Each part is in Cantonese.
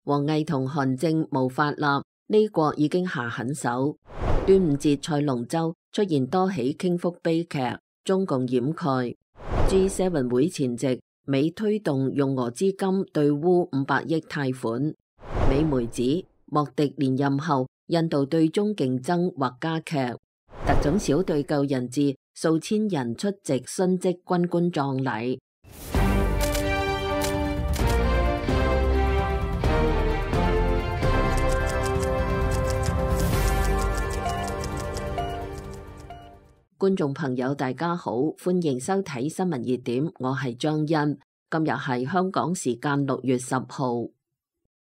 王毅同韓正無法立，呢國已經下狠手。端午節賽龍舟出現多起傾覆悲劇，中共掩蓋。G7 會前夕，美推動用俄資金對烏500億貸款。美媒指莫迪連任後，印度對中競爭或加劇。特種小隊救人質，數千人出席殉職軍官葬禮。觀眾朋友大家好，歡迎收睇新聞熱點，我係張欣。今日係香港時間6月10號。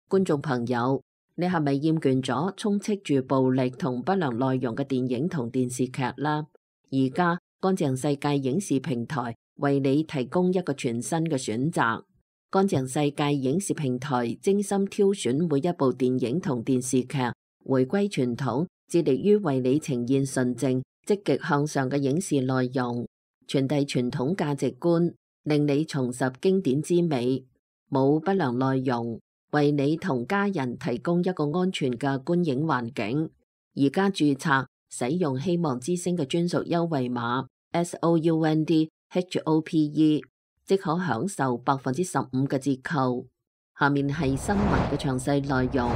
觀眾朋友，你係咪厭倦咗充斥住暴力同不良內容嘅電影同電視劇啦？而家乾淨世界影視平台為你提供一個全新嘅選擇。乾淨世界影視平台精心挑選每一部電影同電視劇，回歸傳統，致力於為你呈現純正積極向上嘅影視內容，傳遞傳統價值觀，令你重拾經典之美，冇不良內容，為你同家人提供一個安全嘅觀影環境。而家註冊使用希望之聲嘅專屬優惠碼 SOUNDHOPE， 即可享受15%嘅折扣。下面係新聞嘅詳細內容。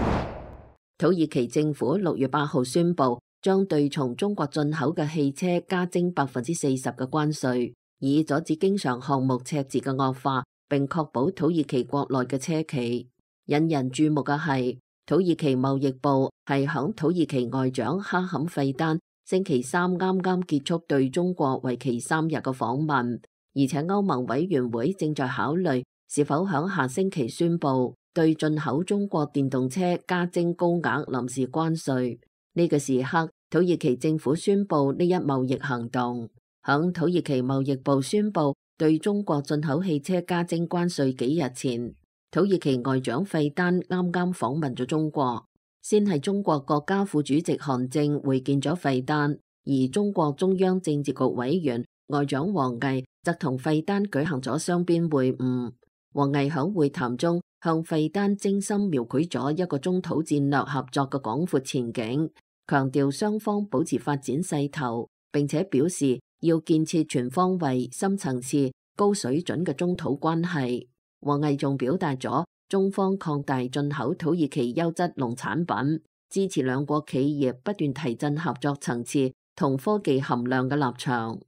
土耳其政府6月8號宣布，將對從中國進口嘅汽車加徵40%嘅關稅，以阻止經常項目赤字嘅惡化，並確保土耳其國內嘅車企。引人注目嘅係，土耳其貿易部係響土耳其外長哈坎費丹星期三啱結束對中國為期3日嘅訪問，而且歐盟委員會正在考慮是否響下星期宣布對進口中國電動車加徵高額臨時關稅。呢個時刻，土耳其政府宣布呢一貿易行動。響土耳其貿易部宣布對中國進口汽車加徵關稅幾日前，土耳其外長費丹啱訪問咗中國。先係中國國家副主席韓正會見咗費丹，而中國中央政治局委員外長王毅則同費丹舉行咗雙邊會晤。王毅響會談中向費丹精心描繪咗一個中土戰略合作嘅廣闊前景，強調雙方保持發展勢頭，並且表示要建設全方位、深層次、高水準嘅中土關係。王毅仲表達咗中方擴大進口土耳其優質農產品，支持兩國企業不斷提振合作層次同科技含量嘅立場。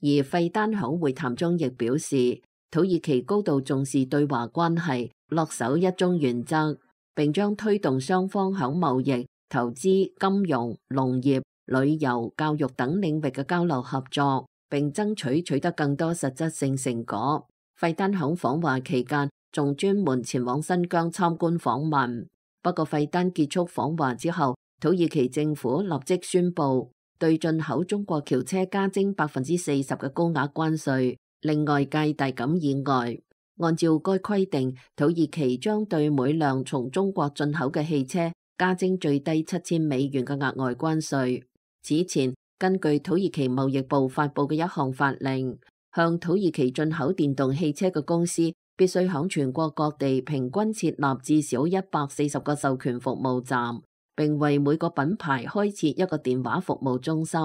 而費丹響會談中亦表示，土耳其高度重視對華關係，恪守一中原則，並將推動雙方響貿易、投資、金融、農業、旅遊、教育等領域嘅交流合作，並爭取取得更多實質性成果。費丹響訪華期間仲專門前往新疆參觀訪問。不過費丹結束訪華之後，土耳其政府立即宣布對進口中國轎車加徵40%嘅高額關稅，令外界大感意外。按照該規定，土耳其將對每輛從中國進口嘅汽車加徵最低7000美元嘅額外關稅。此前，根據土耳其貿易部發布嘅一項法令，向土耳其進口電動汽車嘅公司必須響全國各地平均設立至少140個授權服務站，並為每個品牌開設一個電話服務中心。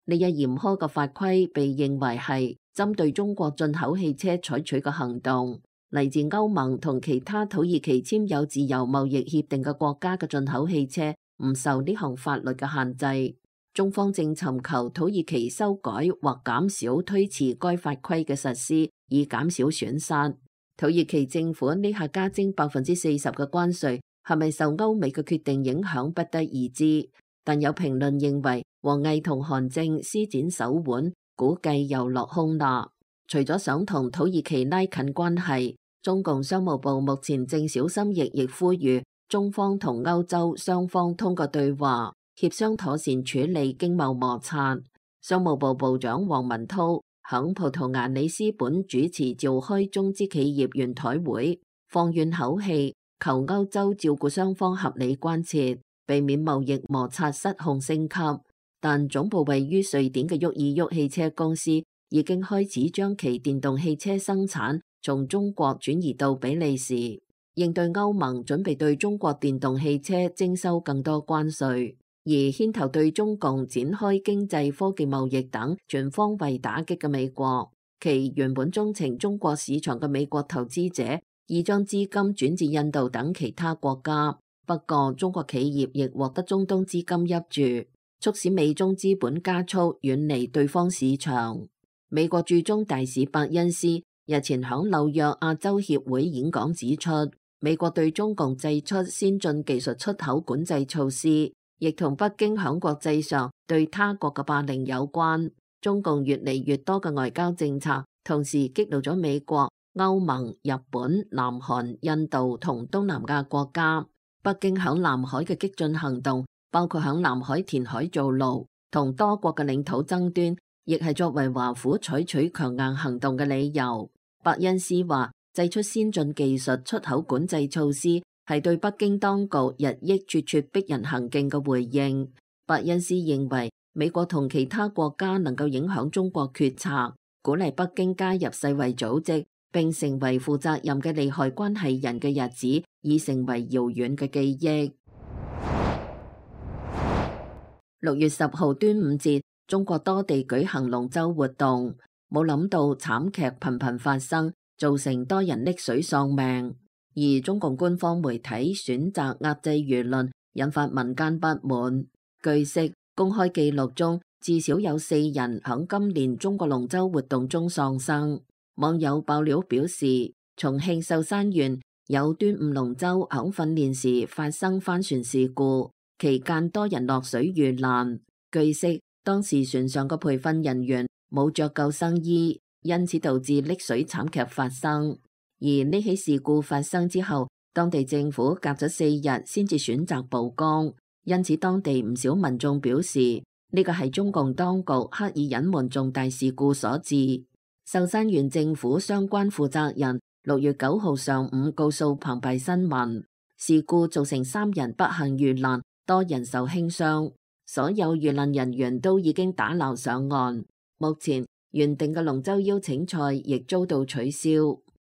呢一嚴苛嘅法規被認為係針對中國進口汽車採取嘅行動。嚟自歐盟同其他土耳其簽有自由貿易協定嘅國家嘅進口汽車唔受呢項法律嘅限制。中方正尋求土耳其修改或減少推遲該法規嘅實施，以減少損失。土耳其政府呢下加徵40%嘅關稅，係咪受歐美嘅決定影響，不得而知。但有評論認為，王毅同韓正施展手腕，估計又落空啦。除咗想同土耳其拉近關係，中共商務部目前正小心翼翼呼籲中方同歐洲雙方通過對話協商妥善處理經貿摩擦。商務部部長王文濤響葡萄牙里斯本主持召開中資企業圓台會，放軟口氣，求歐洲照顧雙方合理關切，避免貿易摩擦失控升級。但總部位於瑞典嘅沃爾沃汽車公司已經開始將其電動汽車生產從中國轉移到比利時。應對歐盟準備對中國電動汽車徵收更多關稅，而牽頭對中共展開經濟科技貿易等全方位打擊嘅美國，其原本鍾情中國市場嘅美國投資者已將資金轉至印度等其他國家。不過中國企業亦獲得中東資金挹注，促使美中資本加速遠離對方市場。美國駐中大使伯恩斯日前響紐約亞洲協會演講指出，美國對中共祭出先進技術出口管制措施，亦同北京響國際上對他國嘅霸凌有關。中共越嚟越多嘅外交政策，同時激怒咗美國、歐盟、日本、南韓、印度同東南亞國家。北京響南海嘅激進行動，包括響南海填海造陸同多國嘅領土爭端，亦係作為華府採取強硬行動嘅理由。伯恩斯話，祭出先進技術出口管制措施係對北京當局日益咄咄逼人行徑嘅回應。伯恩斯認為，美國同其他國家能夠影響中國決策，鼓勵北京加入世衛組織，並成為負責任嘅利害關係人嘅日子已成為遙遠嘅記憶。6月10號端午節，中國多地舉行龍舟活動，冇諗到慘劇頻頻發生，造成多人溺水喪命。而中共官方媒體選擇壓制輿論，引發民間不滿。據悉，公開記錄中至少有4人響今年中國龍舟活動中喪生。網友爆料表示，重慶壽山縣有端午龍舟響訓練時發生翻船事故，期間多人落水遇難。據悉，當時船上嘅培訓人員冇着救生衣，因此導致溺水慘劇發生。而呢起事故發生之後，當地政府隔咗4日先至選擇曝光，因此當地唔少民眾表示，呢個係中共當局刻意隱瞞重大事故所致。壽山縣政府相關負責人6月9號上午告訴澎湃新聞，事故造成3人不幸遇難，多人受輕傷，所有遇難人員都已經打撈上岸。目前原定嘅龍舟邀請賽亦遭到取消。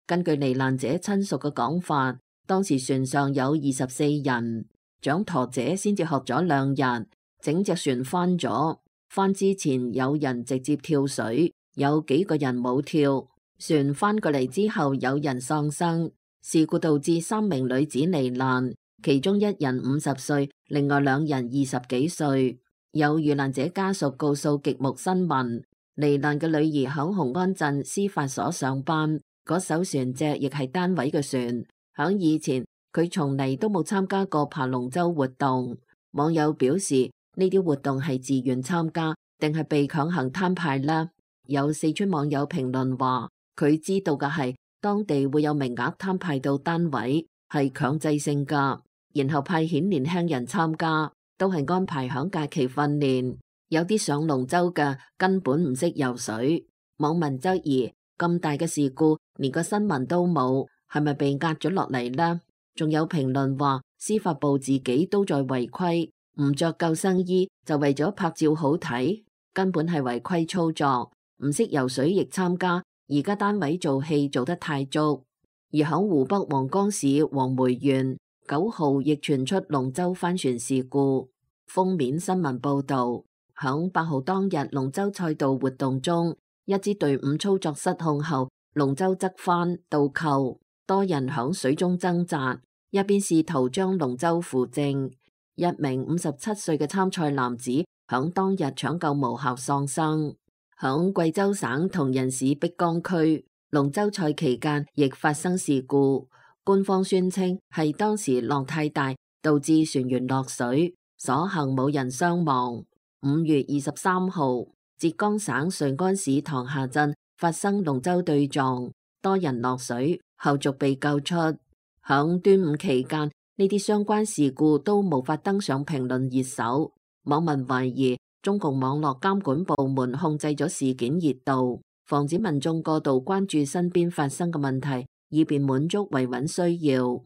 根據罹難者親屬嘅講法，當時船上有24人，掌舵者先至學咗2日，整隻船翻咗。翻之前有人直接跳水，有幾個人冇跳。船翻過嚟之後有人喪生。事故導致3名女子罹難，其中1人50歲，另外2人20幾歲。有遇難者家屬告訴極目新聞，罹難嘅女兒響雄安鎮司法所上班，嗰艘船隻亦係單位嘅船。響以前佢從嚟都冇參加過爬龍舟活動。網友表示，呢啲活動係自願參加定係被強行攤派呢？有四川網友評論話，佢知道嘅係當地會有名額攤派到單位，係強制性噶，然後派遣年輕人參加，都係安排響假期訓練。有啲上龍舟嘅根本唔識游水。網民質疑，咁大嘅事故連個新聞都冇，係咪被壓咗落嚟呢？仲有評論話，司法部自己都在違規，唔着救生衣就為咗拍照好睇，根本係違規操作。唔識游水亦參加，而家單位做戲做得太足。而響湖北黃岡市黃梅縣9號亦傳出龍舟翻船事故。封面新聞報道，響8號當日龍舟賽道活動中，一支隊伍操作失控後，龍舟側翻倒扣，多人響水中掙扎，一邊試圖將龍舟扶正。一名57歲嘅參賽男子響當日搶救無效喪生。響貴州省銅仁市碧江區，龍舟賽期間亦發生事故，官方宣稱係當時浪太大，導致船員落水，所幸冇人傷亡。5月23號，浙江省瑞安市塘下鎮發生龍舟對撞，多人落水，後續被救出。響端午期間，呢啲相關事故都無法登上評論熱搜，網民懷疑中共網絡監管部門控制咗事件熱度，防止民眾過度關注身邊發生嘅問題，以便滿足維穩需要。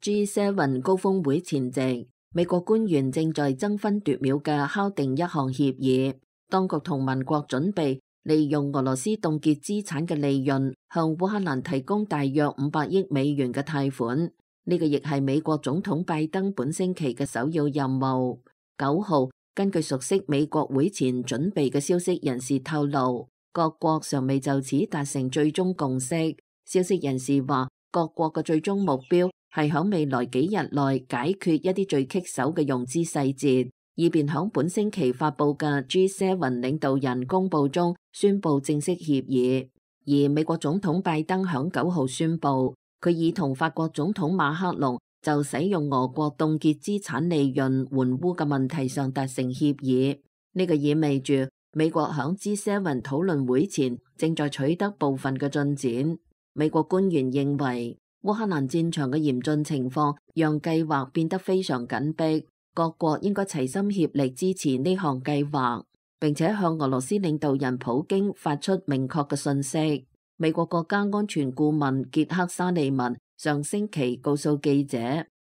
G7 高峰會前夕，美國官員正在爭分奪秒嘅敲定一項協議，當局同盟國準備利用俄羅斯凍結資產嘅利潤，向烏克蘭提供大約500億美元嘅貸款。呢個亦係美國總統拜登本星期嘅首要任務。9號，根據熟悉美國會前準備嘅消息人士透露，各國尚未就此達成最終共識。消息人士話，各國嘅最終目標係響未來幾日內解決一啲最棘手嘅融資細節，以便響本星期發佈嘅 G7 領導人公報中宣布正式協議。而美國總統拜登響9號宣布，佢已同法國總統馬克龍就使用俄國凍結資產利潤援烏嘅問題上達成協議。呢個意味住美國響 G7 討論會前正在取得部分嘅進展。美國官員認為，烏克蘭戰場嘅嚴峻情況讓計劃變得非常緊迫，各國應該齊心協力支持呢項計劃，並且向俄羅斯領導人普京發出明確嘅信息。美國國家安全顧問傑克沙利文上星期告訴記者，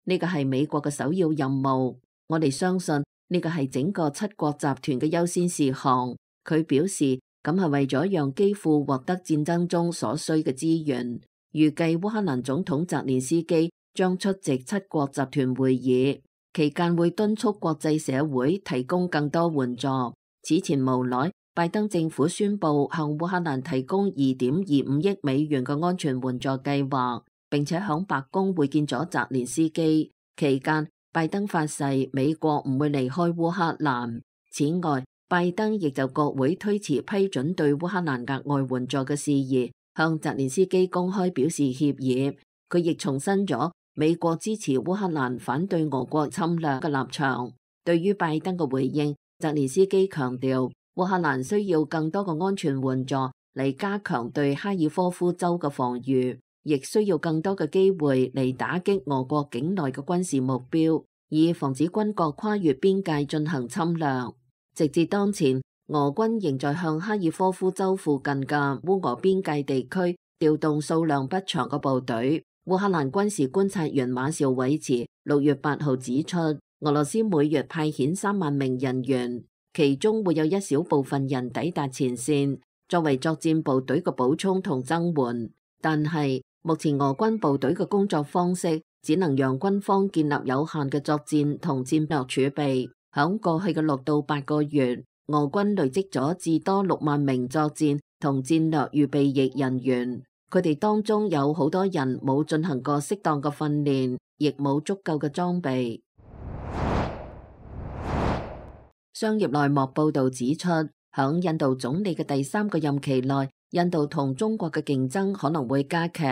呢個係美國嘅首要任務，我哋相信呢個係整個7國集團嘅優先事項。佢表示，咁係為咗讓基輔獲得戰爭中所需嘅資源。預計烏克蘭總統澤連斯基將出席7國集團會議，期間會敦促國際社會提供更多援助。此前無奈，拜登政府宣布向烏克蘭提供2.25億美元嘅安全援助計劃，並且響白宮會見咗澤連斯基。期間，拜登發誓美國唔會離開烏克蘭。此外，拜登亦就國會推遲批准對烏克蘭額外援助嘅事宜，向澤連斯基公開表示歉意。佢亦重申咗美國支持烏克蘭反對俄國侵略嘅立場。對於拜登嘅回應，澤連斯基強調，烏克蘭需要更多嘅安全援助嚟加強對哈爾科夫州嘅防禦，亦需要更多嘅機會嚟打擊俄國境內嘅軍事目標，以防止軍國跨越邊界進行侵略。直至當前，俄軍仍在向哈爾科夫州附近嘅烏俄邊界地區調動數量不詳嘅部隊。烏克蘭軍事觀察員馬紹維茨6月8號指出，俄羅斯每月派遣3萬名人員，其中會有一小部分人抵達前線，作為作戰部隊嘅補充同增援。但係目前俄軍部隊嘅工作方式只能讓軍方建立有限嘅作戰同戰略儲備。響過去嘅6到8個月，俄軍累積咗至多6萬名作戰同戰略預備役人員，佢哋當中有好多人冇進行過適當嘅訓練，亦冇足夠嘅裝備。商業內幕報道指出，響印度總理嘅第3個任期內，印度同中國嘅競爭可能會加劇。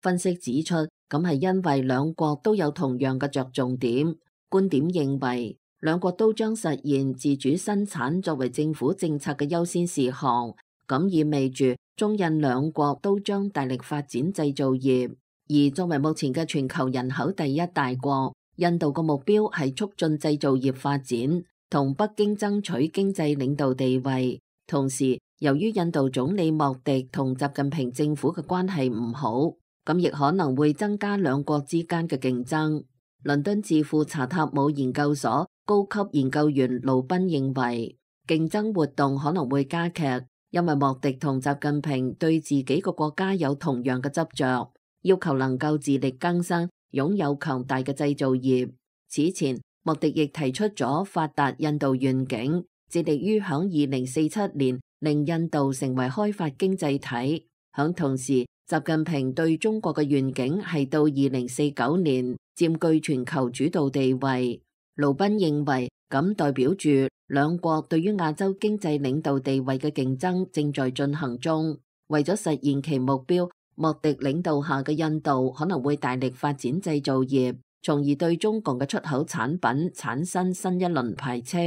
分析指出，咁係因為兩國都有同樣嘅着重點。觀點認為，兩國都將實現自主生產作為政府政策嘅優先事項，咁意味住中印兩國都將大力發展製造業。而作為目前嘅全球人口第1大國，印度嘅目標係促進製造業發展，同北京爭取經濟領導地位。同時，由於印度總理莫迪同習近平政府嘅關係唔好，咁亦可能會增加兩國之間嘅競爭。倫敦智庫查塔姆研究所高級研究員盧賓認為，競爭活動可能會加劇，因為莫迪同習近平對自己個國家有同樣嘅執着，要求能夠自力更生，擁有強大嘅製造業。此前，莫迪亦提出咗發達印度願景，致力於響2047年令印度成為開發經濟體。響同時，習近平對中國嘅願景係到2049年佔據全球主導地位。盧賓認為，咁代表住兩國對於亞洲經濟領導地位嘅競爭正在進行中。為咗實現其目標，莫迪領導下嘅印度可能會大力發展製造業，從而對中國嘅出口產品產生新一輪排斥。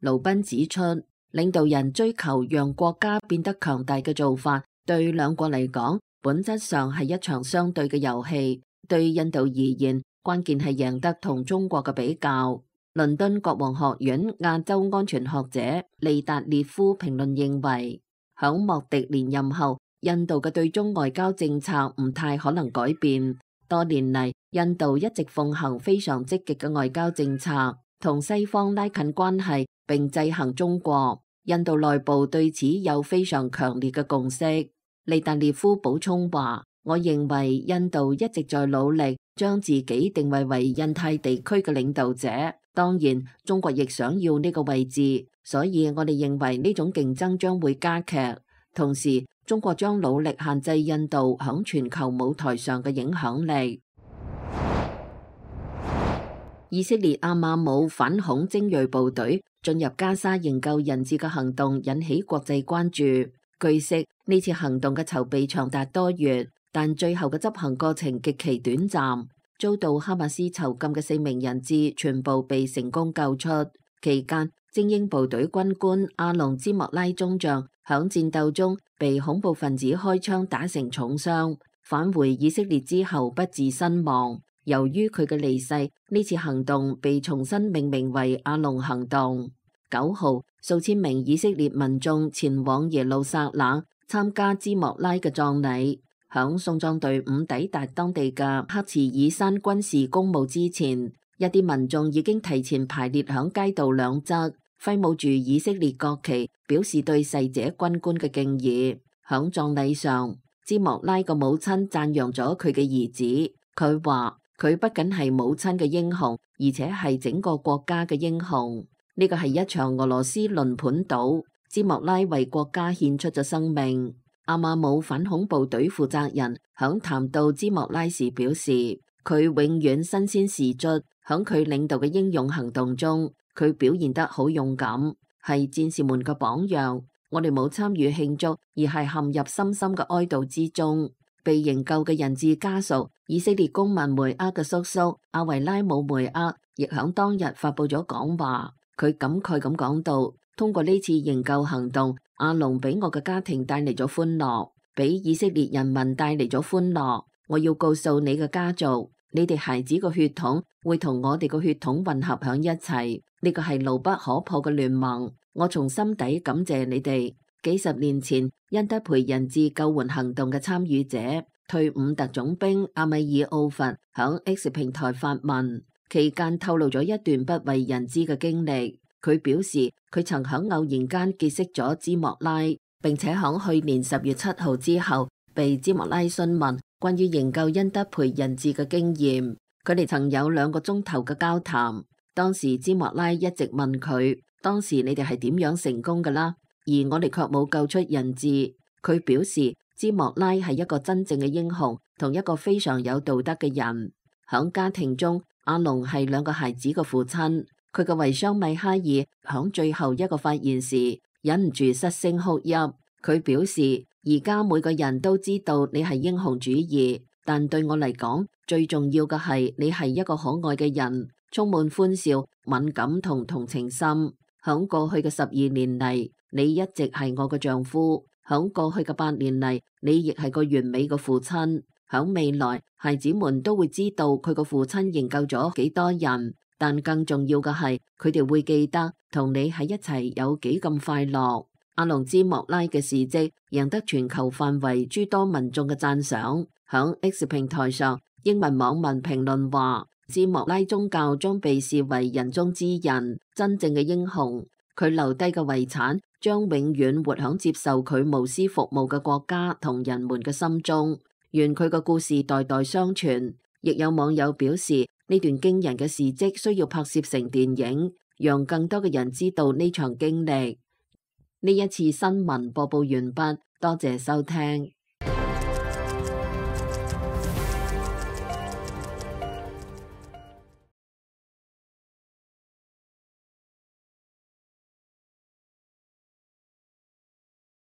盧賓指出，領導人追求讓國家變得強大嘅做法，對兩國嚟講，本質上係一場相對嘅遊戲。對印度而言，關鍵係贏得同中國嘅比較。倫敦國王學院亞洲安全學者利達列夫評論認為，響莫迪連任後，印度嘅對中外交政策唔太可能改變。多年嚟，印度一直奉行非常積極嘅外交政策，同西方拉近關係並制衡中國。印度內部對此有非常強烈嘅共識。利達列夫補充話：我認為印度一直在努力將自己定位為印太地區嘅領導者，當然中國亦想要呢個位置，所以我哋認為呢種競爭將會加劇。同時，中國將努力限制印度響全球舞台上嘅影響力。以色列阿馬姆反恐精銳部隊進入加沙營救人質嘅行動引起國際關注。據悉，呢次行動嘅籌備長達多月，但最後嘅執行過程極其短暫，遭到哈馬斯囚禁嘅4名人質全部被成功救出。期間，精英部隊軍官阿隆茲莫拉中將響戰鬥中被恐怖分子開槍打成重傷，返回以色列之後不治身亡。由於佢嘅離世，呢次行動被重新命名為阿隆行動。9號，數千名以色列民眾前往耶路撒冷參加茲莫拉嘅葬禮。響送葬隊伍抵達當地嘅克茨爾山軍事公墓之前，一啲民眾已經提前排列響街道兩側，揮舞住以色列國旗，表示對逝者軍官嘅敬意。響葬禮上，茲莫拉嘅母親讚揚咗佢嘅兒子，佢話：佢不僅係母親嘅英雄，而且係整個國家嘅英雄。呢個係一場俄羅斯輪盤賭，茲莫拉為國家獻出咗生命。阿馬姆反恐部隊負責人響談到茲莫拉時表示，佢永遠身先士卒，響佢領導嘅英勇行動中，佢表現得好勇敢，係戰士們嘅榜樣。我哋冇參與慶祝，而係陷入深深嘅哀悼之中。被營救嘅人質家屬，以色列公民梅厄嘅叔叔阿維拉姆梅厄亦響當日發佈咗講話，佢感慨咁講到：通過呢次營救行動，阿隆俾我嘅家庭帶嚟咗歡樂，俾以色列人民帶嚟咗歡樂。我要告訴你嘅家族，你哋孩子嘅血統會同我哋嘅血統混合響一齊，呢個係牢不可破嘅聯盟。我從心底感謝你哋。幾十年前，恩德培人質救援行動嘅參與者、退伍特種兵阿米爾奧弗響 X 平台發文，期間透露咗一段不為人知嘅經歷。佢表示，佢曾響偶然間結識咗茲莫拉，並且響去年10月7號之後，被茲莫拉詢問關於營救恩德培人質嘅經驗。佢哋曾有2個鐘頭嘅交談。當時茲莫拉一直問佢：當時你哋係點樣成功㗎啦？而我哋卻冇救出人質。佢表示，茲莫拉係一個真正嘅英雄，同一個非常有道德嘅人。響家庭中，阿隆係2個孩子嘅父親。佢嘅遺孀米哈爾響最後一個發言時，忍唔住失聲哭泣。佢表示，而家每個人都知道你係英雄主義，但對我嚟講，最重要嘅係你係一個可愛嘅人，充滿歡笑、敏感同同情心。響過去嘅12年嚟，你一直係我嘅丈夫。響過去嘅8年嚟，你亦係個完美嘅父親。響未來，孩子們都會知道佢個父親營救咗幾多人，但更重要嘅係，佢哋會記得同你喺一齊有幾咁快樂。阿隆茲莫拉嘅事蹟贏得全球範圍諸多民眾嘅讚賞。響 X 平台上，英文網民評論話：茲莫拉宗教將被視為人中之人，真正嘅英雄。佢留低嘅遺產將永遠活響接受佢無私服務嘅國家同人們嘅心中。願佢嘅故事代代相傳。亦有網友表示，呢段驚人嘅事蹟需要拍攝成電影，讓更多嘅人知道呢場經歷。呢一次新聞播報完畢，多謝收聽。